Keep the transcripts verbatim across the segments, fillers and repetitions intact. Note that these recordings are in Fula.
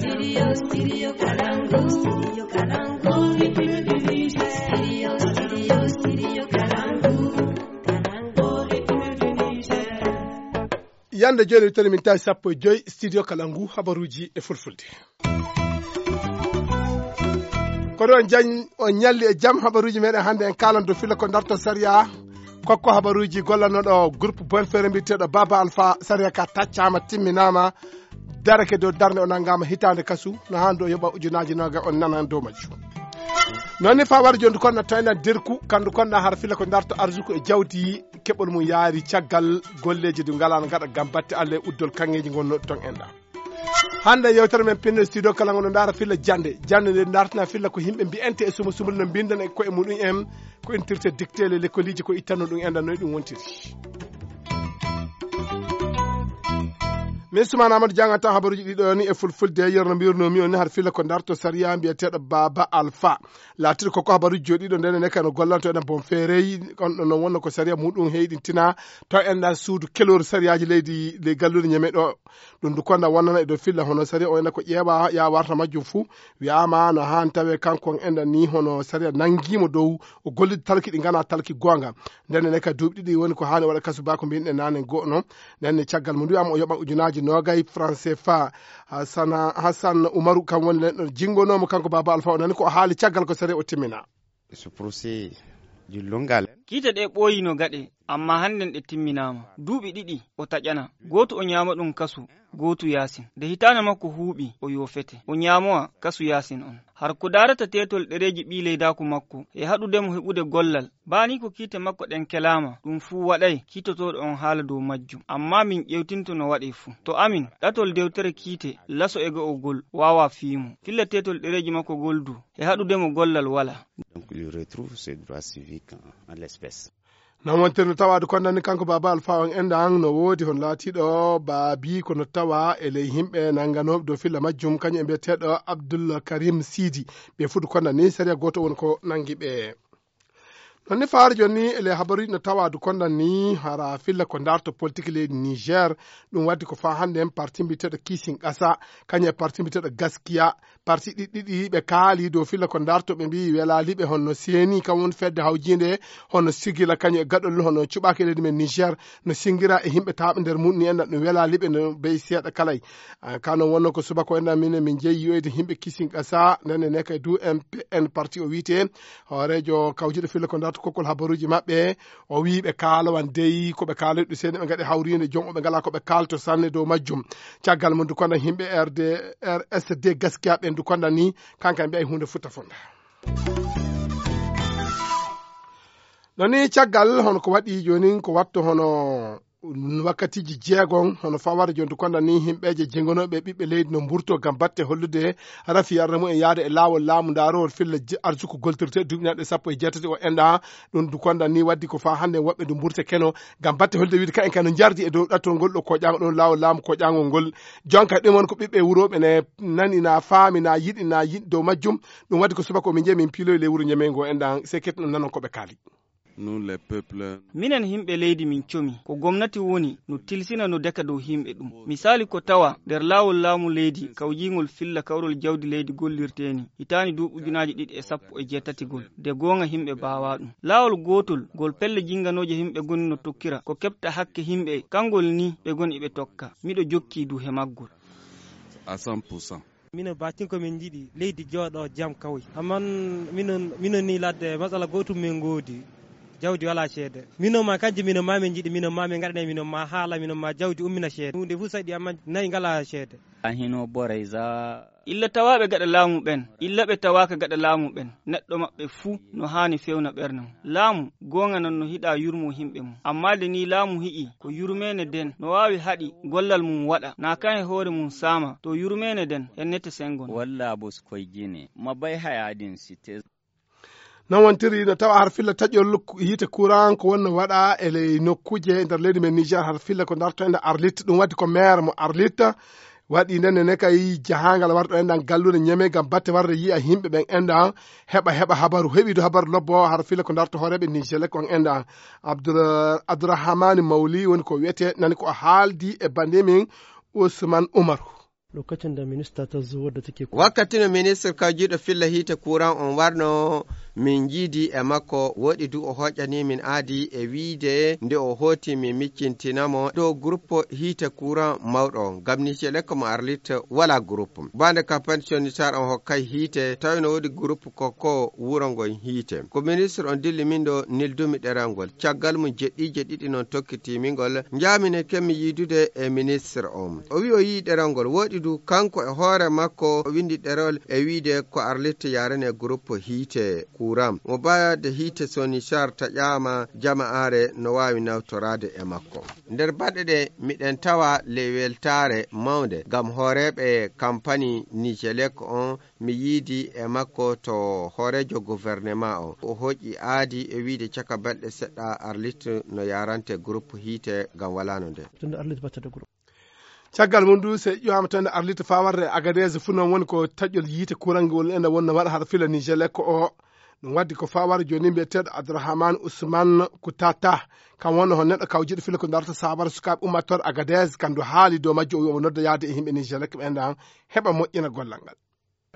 Studio, studio Kalangu, studio Kalangu, République du Niger. Studio, studio, studio Kalangu, Kalangu, République du Niger. Yande jooni, mi tawi min tawi sappo e joy studio Kalangu, habaruuji e fulfulde. Kono on jan-, on ñalli e jam. Habaruuji meɗen hannde, en kaalan dow filla ko darto sariya. Kokko habaruuji gollanooɗo groupe Bonfere mbiyeteeɗo Baba Alpha, sariya ka taccaama, timminaama, darake dow darnde, o nanngaama hitaande kasu, no haa ndu o yoɓa ujunaaji noogay, on nanan dow majjum. Noon ni faa wara jooni, ndu konɗa tawna derku, kandu konɗa har filla ko darto arsuku e jawdi, keɓol mum yaari caggal golleeji ɗi ngalaa no ngaɗa ngam batte Allah e uddol kaŋŋeeji ngonnoɗi toon enɗa. Hannde yewtere men pinno studio kala ngono ndaara filla jannde. Jannde nde dartina filla ko yimɓe mbiyante e sumo sumol no mbindan e koye muɗum en, ko intirte dictée les lekkoliji ko ittanno ɗum enɗa noy ɗum wontiri. Min Sumaana Amadou janganta habaruuji ɗiɗo ni e fulfulde, yerno mbirno mi on ni har filla ko darto sariya mbiyeteeɗo Baba Alpha. Laatiri ko ko habaruuji jooɗiɗo nden ne kano gollanto enen bon feerey, on ɗon non wonno ko sariya muɗum heyɗintina to enɗa suudu keloru sariyaaji leydi, ley galluure Ñeme ɗo. Ɗum du konda wonnana e dow filla hono sariya o ena ko ƴeewa ya warta majjum fuu. Wiyaama no haan tawe kanko on enɗa ni hono sariya nanngiimo dow o gollide talki ɗi ngana talki goonga. Nden ne ka duuɓi ɗiɗi woni ko haani waɗa kasu ba ko mbinɗe naane go'o no. Nden ne caggal mum wiyaama o yoɓa ujunaaji noogay franc C F A. Hasana, Hassan Umaru kam woni len ɗon jingonoomo kanko Baba Alpha o nani ko o haali caggal ko sariya o timmina. Ce procès du longal. Kiite ɗe ɓooyi no gaɗe, amma hannden ɗe timminaama. Duuɓi ɗiɗi o taƴana, gootu o ñaama ɗum kasu, gootu yaasin. Nde hitaande makko huuɓi, o yoofete. O ñaamowa kasu yaasin on. Har ko daarata teetol ɗereeji ɓii leydaaku makko, e haɗude mo heɓude gollal. Baa ni ko kiite makko ɗen kelaama, ɗum fuu waɗay kiitotooɗo on haala dow majjum. Amma min ƴewtinto no waɗee fuu. To amin, ɗatol dewtere kiite, laso e go'o gol, waawaa fii mo. Filla teetol ɗereeji makko gol du, e haɗude mo gollal walaa. Donc, il retrouve ses droits civiques en, en l'espèce. Non wontirno tawaade kondani kanko Baba Alpha on enɗan no woodi hon laatiiɗo baabi kono tawa e ley yimɓe nannganooɓe dow filla majjum, kañum e mbiyeteeɗo Abdul Karim Sidi. Ɓe fuɗu kondani sariya gooto woni ko nanngi ɓe. Ɗon ni faare jooni ni e ley habaruuji no tawaade kondani hara filla ko darto politique leydi Niger. Ɗum waddi ko faa hannde en parti mbiyeteeɗo Kisin Ƙasa, kañum e parti mbiyeteeɗo Gaskiya. Parti ɗiɗi ɗiɗi ɓe kaali dow filla ko darto, ɓe mbiyi welaali ɓe, hono seeni kam woni fedde hawjiinde, hono sigila kañum e gaɗol, hono cuɓaaki e leydi men Niger, no singira e yimɓe taaɓe nder mum ni enɗan ɗum welaali ɓe no beyi seeɗa kalay. Ah, kano wonno ko subaka o enɗan min, min jeyi yoyde yimɓe Kisin Ƙasa, nden ne kay du M P N parti o wiyte, hooreejo kawjuɗo filla ko darto kokkol habaruuji maɓɓe, o wii ɓe kaalawan dey ko ɓe kaaloy ɗum seeni, ɓe ngaɗi hawriinde joom o ɓe ngalaa ko ɓe kaalto sanne dow majjum. Caggal mum du kono yimɓe R D, R S D Gaskiya ɓen du konda ni, kanka mbiya huunde futta fonda. No ni caggal hono ko waɗi jooni ko watto hono wakkatiiji jeegon, hono fawata jooni du konda ni yimɓeeje jengonooɓe ɓiɓɓe leydi no mburto ngam batte hollude rafi yarde mum en yaade e laawol laamu ndaarowol filla je-, arsuku goltirte duuɓi naɗɗe sappo e jeetati o enɗa. Ɗum du konda ni waddi ko faa hannde woɓɓe du mburte keno ngam batte holde wiide kayen kano njardi e dow ɗattol ngol ɗo koƴaango ɗon laawol laamu koƴaangol ngol. Jonka ɗum won ko ɓiɓɓe wurooɓe ne nani na faami na yiɗi na yiɗi dow majjum. Ɗum waddi ko subaka o min jeyi min piiloyi ley wuro Ñemey ngo enɗan sekket no nanon ko ɓe kaali. Nous, les peuples. Minen yimɓe leydi min comi. Ko gomnati woni no tilsina no deka dow yimɓe ɗum. Misali ko tawa nder laawol laamu leydi kawjiingol filla kawrol jawdi leydi gollirtee ni. Hitaani du ujunaaji ɗiɗi e sappo e jeetatigol. De goonga yimɓe baawaa ɗum. Laawol gootol ngol pelle jinganooje yimɓe goni no tokkira. Ko keɓta hakke yimɓe, kangol ni ɓe goni ɓe tokka. Miɗo jokki du he maggol. À cent pour cent. Mino batin ko min njiɗi leydi jooɗo jam kawri. Amman minon, minon ni ladde matsala gotum min ngoodi. Jawdi wala ceede. Minon ma kanjum minon ma min njiɗi, minon ma min ngaɗanay minon ma haala, minon ma jawdi ummina ceede. Hunde fu saɗi amman nayi ngala ceede. A hino borey za. Illa tawaaɓe gaɗa laamu ɓen, illa ɓe tawaaka gaɗa laamu ɓen, neɗɗo maɓɓe fuu no haani fewna ɓernde mum. Laamu goonga non no hiɗa yurmo himɓe mum. Amma de ni laamu hi'i ko yurmeene den no waawi haɗi gollal mum waɗa, na kan e hoore mum saama, to yurmeene den hennete sengo non. Walla bos koy jine, ma bay hayaadin si te. Non wontiri no tawa har filla taƴol yiite courant ko wonno waɗa e ley nokkuuje nder leydi men Niger, har filla ko darto ende Arlit, ɗum waddi ko maire mo Arlit waɗi nden ne kay jahangal warɗo enɗan gallude Ñeme ngam batte warde yi'a yimɓe ɓen enɗan heɓa, heɓa habaru, heɓidu habaru lobbo har filla ko darto hooreɓe Niger kon enɗan. Abdoura-, Abdourahmane Mawli woni ko wiyete nani ko haaldi e bande min Ousmane Oumarou. Lokacin da minista ta zo wadda take kula. Wakkati no ministir kawjiiɗo filla hiite kuran on warno, min njiidi e makko, woɗi du o hoƴƴani min aadi e wiide nde o hooti mi miccintina mo dow groupe hiite kuran mawɗo on. Ngam Nijelek mo Arlit wala groupe. Bande kampani sonitar on hokkay hiite, tawi no woodi groupe kokko wuro ngon hiite. Ko ministir on dilli min ɗo nildumi ɗeral ngol. Caggal mum jeɗɗiije ɗiɗi non tokkiti min ngol. Njaami ne kemmi yiidude e ministir on. O wi o yii ɗeral ngol. Woɗi du kanko e hoore makko o windi ɗerol e wiide ko Arlit yarane groupe hiite kuran. Mo baade hiite sonitar taƴaama jama'aare no waawi nawtoraade e makko. Nder baɗe ɗe miɗen tawa ley weltaare mawnde ngam hooreeɓe kampani Nijelek on mi yiidi e makko to hooreejo gouvernement on. O hoƴƴi aadi e wiide caka balɗe seɗɗa Arlit no yarante groupe hiite ngam walaano nde. Tunda Arlit batta da groupe. Caggal mum du, so ƴeewaama tan Arlit faa warde Agadez fuu noon woni ko taƴol yiite kuran ngol ene wonno waɗa hara fila Nijelek o. Ɗum waɗi ko faa wara jooni mbiyeteeɗo Abdourahmane Ousmane Koutata. Kam wonno hon neɗɗo kawjiiɗo fila ko darata saabara sukaaɓe ummattooɗo Agadez, kam du haali dow majjo o wi o nodda yaade e yimɓe Nijelek ɓen ɗan heɓa moƴƴina gollal ngal.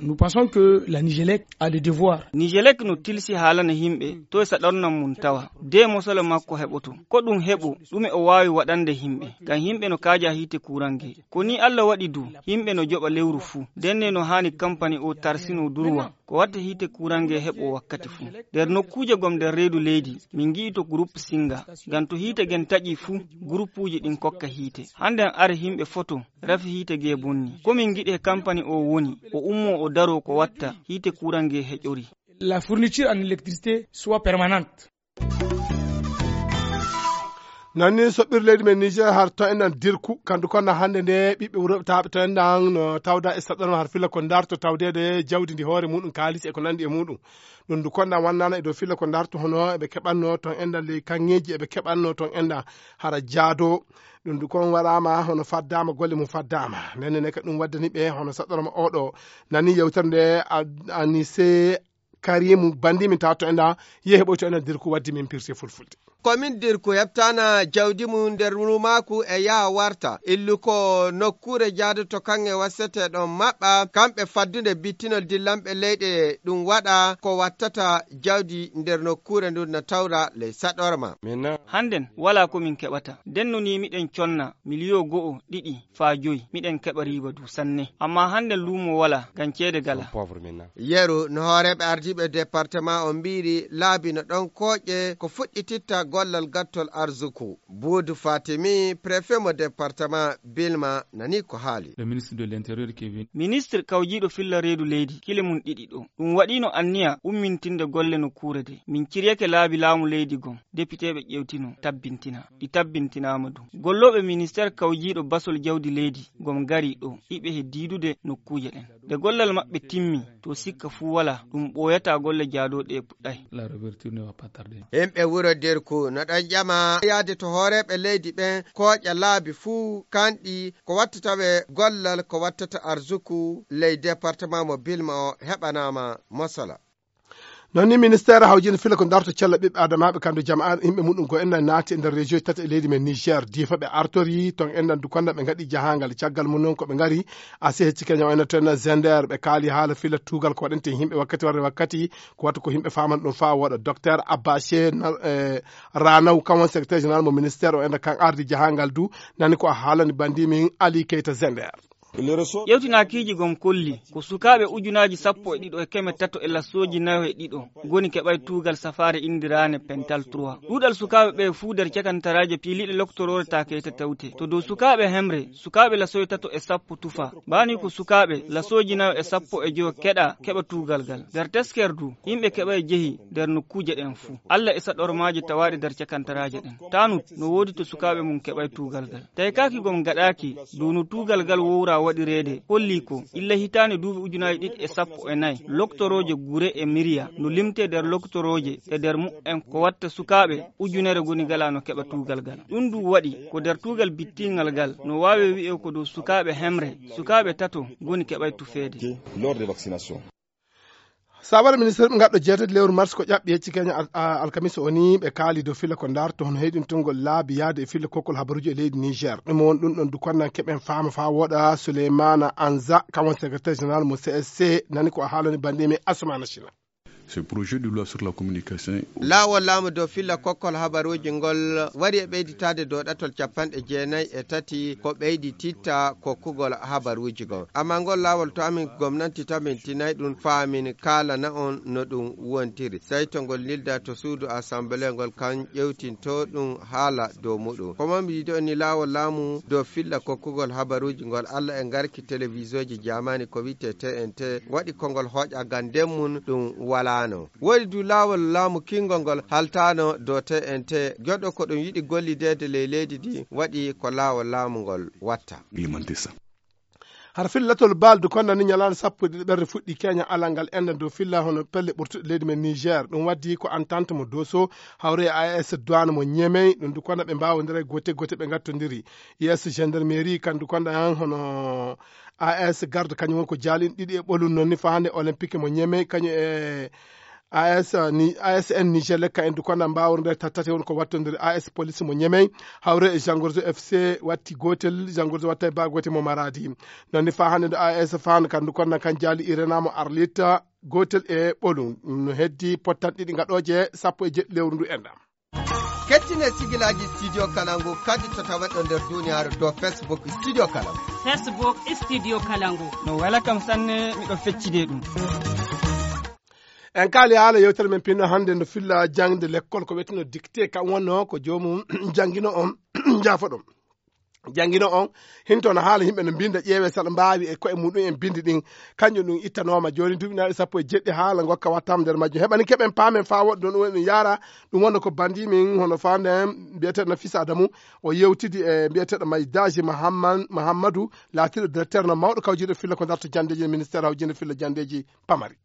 Nous pensons que la Nigelec a le devoir. Nijelek no tilsi haalana yimɓe to e saɗornan mum tawa de mosala makko heɓoto. Ko ɗum heɓo, ɗume o waawi waɗande yimɓe? Ngam yimɓe no kaaja hiite kurange. Ko ni Allah waɗi du, yimɓe no joɓa lewru fuu. Ndenne no haani kampani o tarsino durwa. Ko watta hiite kurange heɓo wakkati fuu. Nder nokkuuje gom nder reedu leydi, min ngi'i to groupe Singa. Ngam to hiite gen taƴi fuu, groupuuji ɗin kokka hiite. Hannden are yimɓe foto, rafi hiite ge bonni. Ko min ngiɗi he kampani o woni, o ummo o daro ko watta hiite kurange heƴori. La fourniture en électricité soit permanente. Nan ni soɓɓir leydi men Niger har to enɗan dirku, kandu konna hannde nde ɓiɓɓe wuro taaɓe to enɗan no tawda e saɗɗano har filla ko darto tawdede jawdi ndi hoore muɗum, kaalis e ko nandi e muɗum. Ɗum ndu konna wannana e dow filla ko darto hono eɓe keɓanno ton enɗan ley kaŋŋeeji eɓe keɓanno ton enɗan hara jaado. Ɗum ndu kon waɗama hono faddama golle mum faddama. Nenne ne ka ɗum waddani ɓe hono saɗɗoroma oɗo. Nani yewtere nde a-, Anise Karimu bandi min tawa to enɗan yehi ɓoy to enɗan dirku waddi min pirti fulfulde. Ko min dirku heɓtana jawdi mum nder rumaaku e yaha warta. Illu ko nokkuure jaadoto kaŋŋe waseteɗon maɓɓa, kamɓe faddunde bittinol dillanɓe leyɗe ɗum waɗa ko wattata jawdi nder nokkuure ndun na tawra ley saɗorma. Hannden walaa ko min keɓata. Ndenno ni miɗen conna miliyo go'o, ɗiɗi, faa joy. Miɗen keɓa riiba du sanne. Ammaa hannden luumo walaa, ngam ceede galaa. Yeru no hooreeɓe ardiiɓe departement on mbiiri laabi no ɗon kooƴe ko fuɗɗititta gollal gattol arzuku. Buudu Fatimi, préfet mo département Bilma, nani ko haali. Le ministre de l'Intérieur qui est venu. Ministre kawjiiɗo filla reedu leydi, kile mum ɗiɗi ɗo. Ɗum waɗiino anniya ummintinde golle nokkuure de. Min ciryake laabi laamu leydi gom. Depiteeɓe ƴeewtino, tabbintina. Ɗi tabbintinaama du. Gollooɓe ministeer kawjiiɗo basol jawdi leydi gom ngari ɗo, iɓe he diidude nokkuuje ɗen. Nde gollal maɓɓe timmi, to sikka fuu walaa, ɗum ɓooyataa golle jaadooɗe e puɗɗay. La réouverture ne va pas tarder. Himɓe wuro Dirku no ɗon ƴama yaade to hooreeɓe leydi ɓen kooƴa laabi fuu kanɗi ko wattata ɓe gollal ko wattata arzuku ley département mo Bilma o heɓanaama mosala. Noon ni ministeer hawjinde fila ko darto cella ɓiɓɓe adamaaɓe kandu jama'a yimɓe muɗum go enɗan naati e nder région tati e leydi men Niger. Diifa ɓe artori ton enɗan du konda ɓe ngaɗi jahangal. Caggal mum noon ko ɓe ngari asi hecci keña o enɗan to enɗan Zender ɓe kaali haala fila tuugal ko waɗante yimɓe wakkati warde wakkati ko watta ko yimɓe faamana ɗum faa wooɗa. Docteur Abache na-, eh, Ranaw kan won secrétaire général mo ministère o enɗan kan ardi jahangal du nani ko a haalani bandi min Ali Keita Zender. Ƴewtinaakiiji gom kolli ko sukaaɓe ujunaaji sappo e ɗiɗo e keme tato e lasooji nayo e ɗiɗo ngoni keɓay tuugal safaare indiraane Pental trois. Ɗuuɗal sukaaɓe ɓe fuu nder cakantaraaje piiliiɗe loktoroore taakeyte tawte. To dow sukaaɓe hemre, sukaaɓe lasooji tato e sappo tufa. Baani ko sukaaɓe lasooji nayo e sappo e joyo keɗa keɓa tuugal gal. Nder tesker du, yimɓe keɓay jehi nder nokkuuje ɗen fuu. Alla e saɗormaaji tawaaɗe nder cakantaraaje ɗen. Tanut no woodi to sukaaɓe mum keɓay tuugal gal. Tawi kaaki gom gaɗaaki dow no tuugal gal wowra waɗireede, holli ko illa hitaande duuɓi ujunaaji ɗiɗi e sappo e nayi, loktorooje gure e miriya no limtee nder loktorooje e nder mu'en ko watta sukaaɓe ujunere ngoni galaa no keɓa tuugal gal. Ɗum du waɗi ko nder tuugal bittiingal gal no waawe wi'e ko dow sukaaɓe hemre, sukaaɓe tato ngoni keɓay tufeede. Lors des vaccinations. Sabara ministre ɓe ngaɗɗo jeetati lewru mars ko ƴaɓɓi hecci keña al- a- alkamisa o ni ɓe kaali dow filla ko ndarto hono heyɗintungol laabi yaade e filla kokkol habaruji e leydi Niger. Ɗum won ɗum ɗon dukonnan keɓen faama faa woɗa Souleymana Anza, kam won secrétaire général mo C S C, nani ko a haalani banndi men Asumana Sina. Ce projet de loi sur la communication. Laawol laamu dow filla kokkol habaruuji ngol wari e ɓeyditaade dow ɗatol capanɗe jeenayi e tati ko ɓeydi titta kokkugol habaruuji goo. Amma ngol laawol to amin gomnanti tabintinay ɗum faa min kaalana on no ɗum wontiri. Sey to ngol nilda to suudu assemblée ngol kan ƴewtinto ɗum haala dow muɗum. Ko mamɗi ɗo ni laawol laamu dow filla kokkugol habaruuji ngol Alla e ngarki telewisooji jaamaani ko wiyetee T N T waɗi ko ngol hooƴa ngam nden mum ɗum walaano. Woodi du laawol laamu kiingol ngol haltaano dow T N T. Joɗɗo ko ɗum yiɗi gollideede ley leydi ndi waɗi ko laawol laamu ngol watta. Har filla latol baaldu konnani ñalaande sappo e ɗiɗi ɓerre fuɗɗi keña alal ngal enɗan dow filla hono pelle ɓurtuɗe leydi men Niger. Ɗum waddi ko entente mo Doso hawre e A S douane mo Ñemey. Ɗum du konna ɓe mbaawondira e goote goote ɓe ngattondiri. Yeeso gendarmerie kan du konna han hono A S garde kañum won ko jaalin ɗiɗi e ɓolum noon ni fahande olympique mo Ñemey kañum e A S ni A S N Niger lekka en du konna mbaawondira tattati won ko wattondiri A S police mo Ñemey. Hawre e Jangorzo F C watti gootel, Jangorzo watta e ba gootel mo Maradi. Noon ni faa hannde nde A S Fan kan ndu konna kan jaali Irena mo Arlita gootel e ɓolum. Ɗum no heddi pottan ɗiɗi gaɗooje sappo e jeɗɗi lewru ndu enɗan. Kettine sigilaaji Studio Kalangu kadi to taweɗo nder duniyaaru dow Facebook Studio Kalangu. Facebook Studio Kalangu. No wela kam sanne, miɗo feccide ɗum. En kaali haala yewtere men pinno hannde no filla jaŋde lekkol ko wetino dictée, kan wonno ko joomum janngino on, jaafoɗon. Janngino on, hinto no haala yimɓe no mbinnda ƴeewe saɗa mbaawi e koye muɗum en binndi ɗin. Kanjum ɗum ittanooma jooni duuɓi naaɗi sappo e jeɗɗi haala ngokka wattaama nder majjum. Heɓani keɓen paamen faa woɗɗo ɗum woni ɗum yaara, ɗum wonno ko banndi min hono faande en mbiyeteeɗo Nafisa Adamu, o yewtidi e mbiyeteeɗo May Daji Mahamman-, Mahammadu, laatiiɗo directeur no mawɗo kawjiiɗo filla ko darto janndeeji e ministère hawjinde filla janndeeji pamari.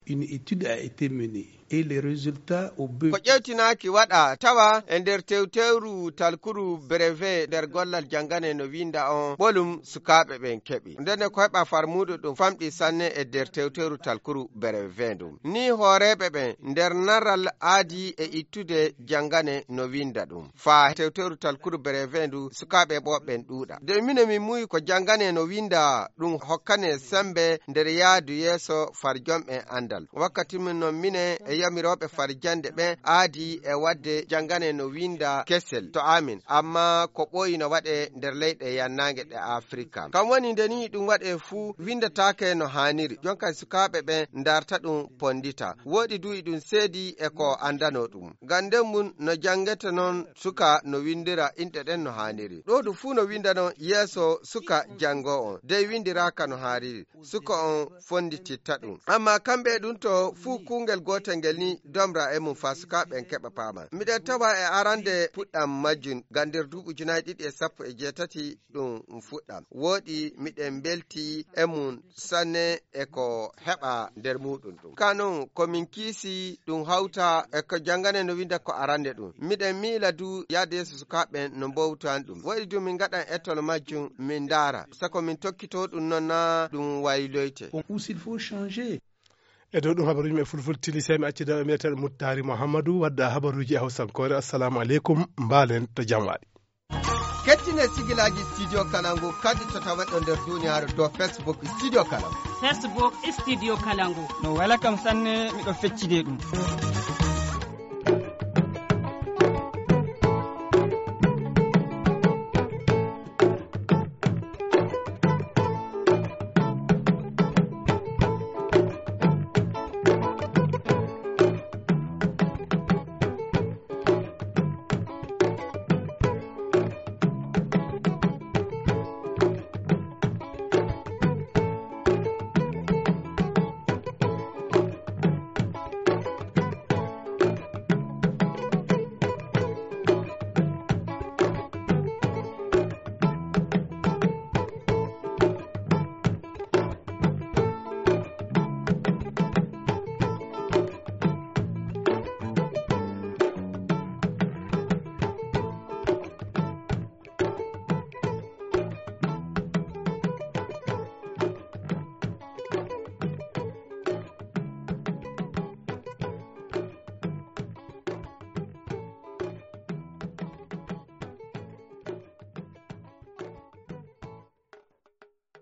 Une étude a été menée et les résultats au bu- Ko ƴewtinaaki waɗa tawa e nder tewtewru talkuru brevet nder gollal janngane no winnda on ɓolum sukaaɓe ɓen keɓi. Ndenne ko heɓa farmuuɗo ɗum famɗi sanne e nder tewtewru talkuru brevet ndum. Ni hooreeɓe ɓen nder naral aadi e ittude janngane no winnda ɗum. Faa tewtewru talkuru brevet ndu sukaaɓe ɓooɓe ɓen ɗuuɗa. De minen min muuyi ko janngane no winnda ɗum hokkane sembe nder yaadu yeeso farjom en anndal. Wakkati min non minen e yamirooɓe farjande ɓen aadi e waɗde janngane no winnda kesel to amin, amma ko ɓooyi no waɗe nder leyɗe yannaange ɗe Afrika. Kam woni nde ni ɗum waɗe fuu winndataake no haaniri. Jonka sukaaɓe ɓen ndarta ɗum pondita. Wooɗi du iɗum seedi e ko anndano ɗum. Ngam nden mum no janngete non suka no winndira inɗe ɗen no haaniri. Ɗo du fuu no winnda non yeeso suka janngoo on. Dey winndiraaka no haaniri. Suka on fonndititta ɗum. Amma kamɓe e ɗum to fuu kuungel gootel ngel ni domra e mum faa sukaaɓe ɓen keɓa paama. Miɗen tawa e arande puɗɗam majjum ngam nder duuɓi ujunaaji ɗiɗi e sappo e jeetati ɗum fuɗɗa. Wooɗi miɗen mbelti e mum sanne e ko heɓa nder muuɗum ɗum. Ka non ko min kiisi ɗum hawta e ko janngane no winnda ko arande ɗum. Miɗen miila du yaade yeeso sukaaɓe ɓen no mbowtan ɗum. Waɗi du min ngaɗan etol majjum min ndaara. Sako min tokkito ɗum non na ɗum wayloyte. Ou s'il faut changer. E dow ɗum habaruuji men fulful tilisee mi acci daɗo mbiyeteeɗo Muttaari Muhammadu wadda habaruuji e Hawsankoore. Assalamu aleykum, mbaalen to jam waɗi. Kettine sigilaaji Studio Kalangu kadi to taweɗo nder duniyaaru dow Facebook Studio Kalangu. Facebook Studio Kalangu. No wela kam sanne, miɗo feccide ɗum.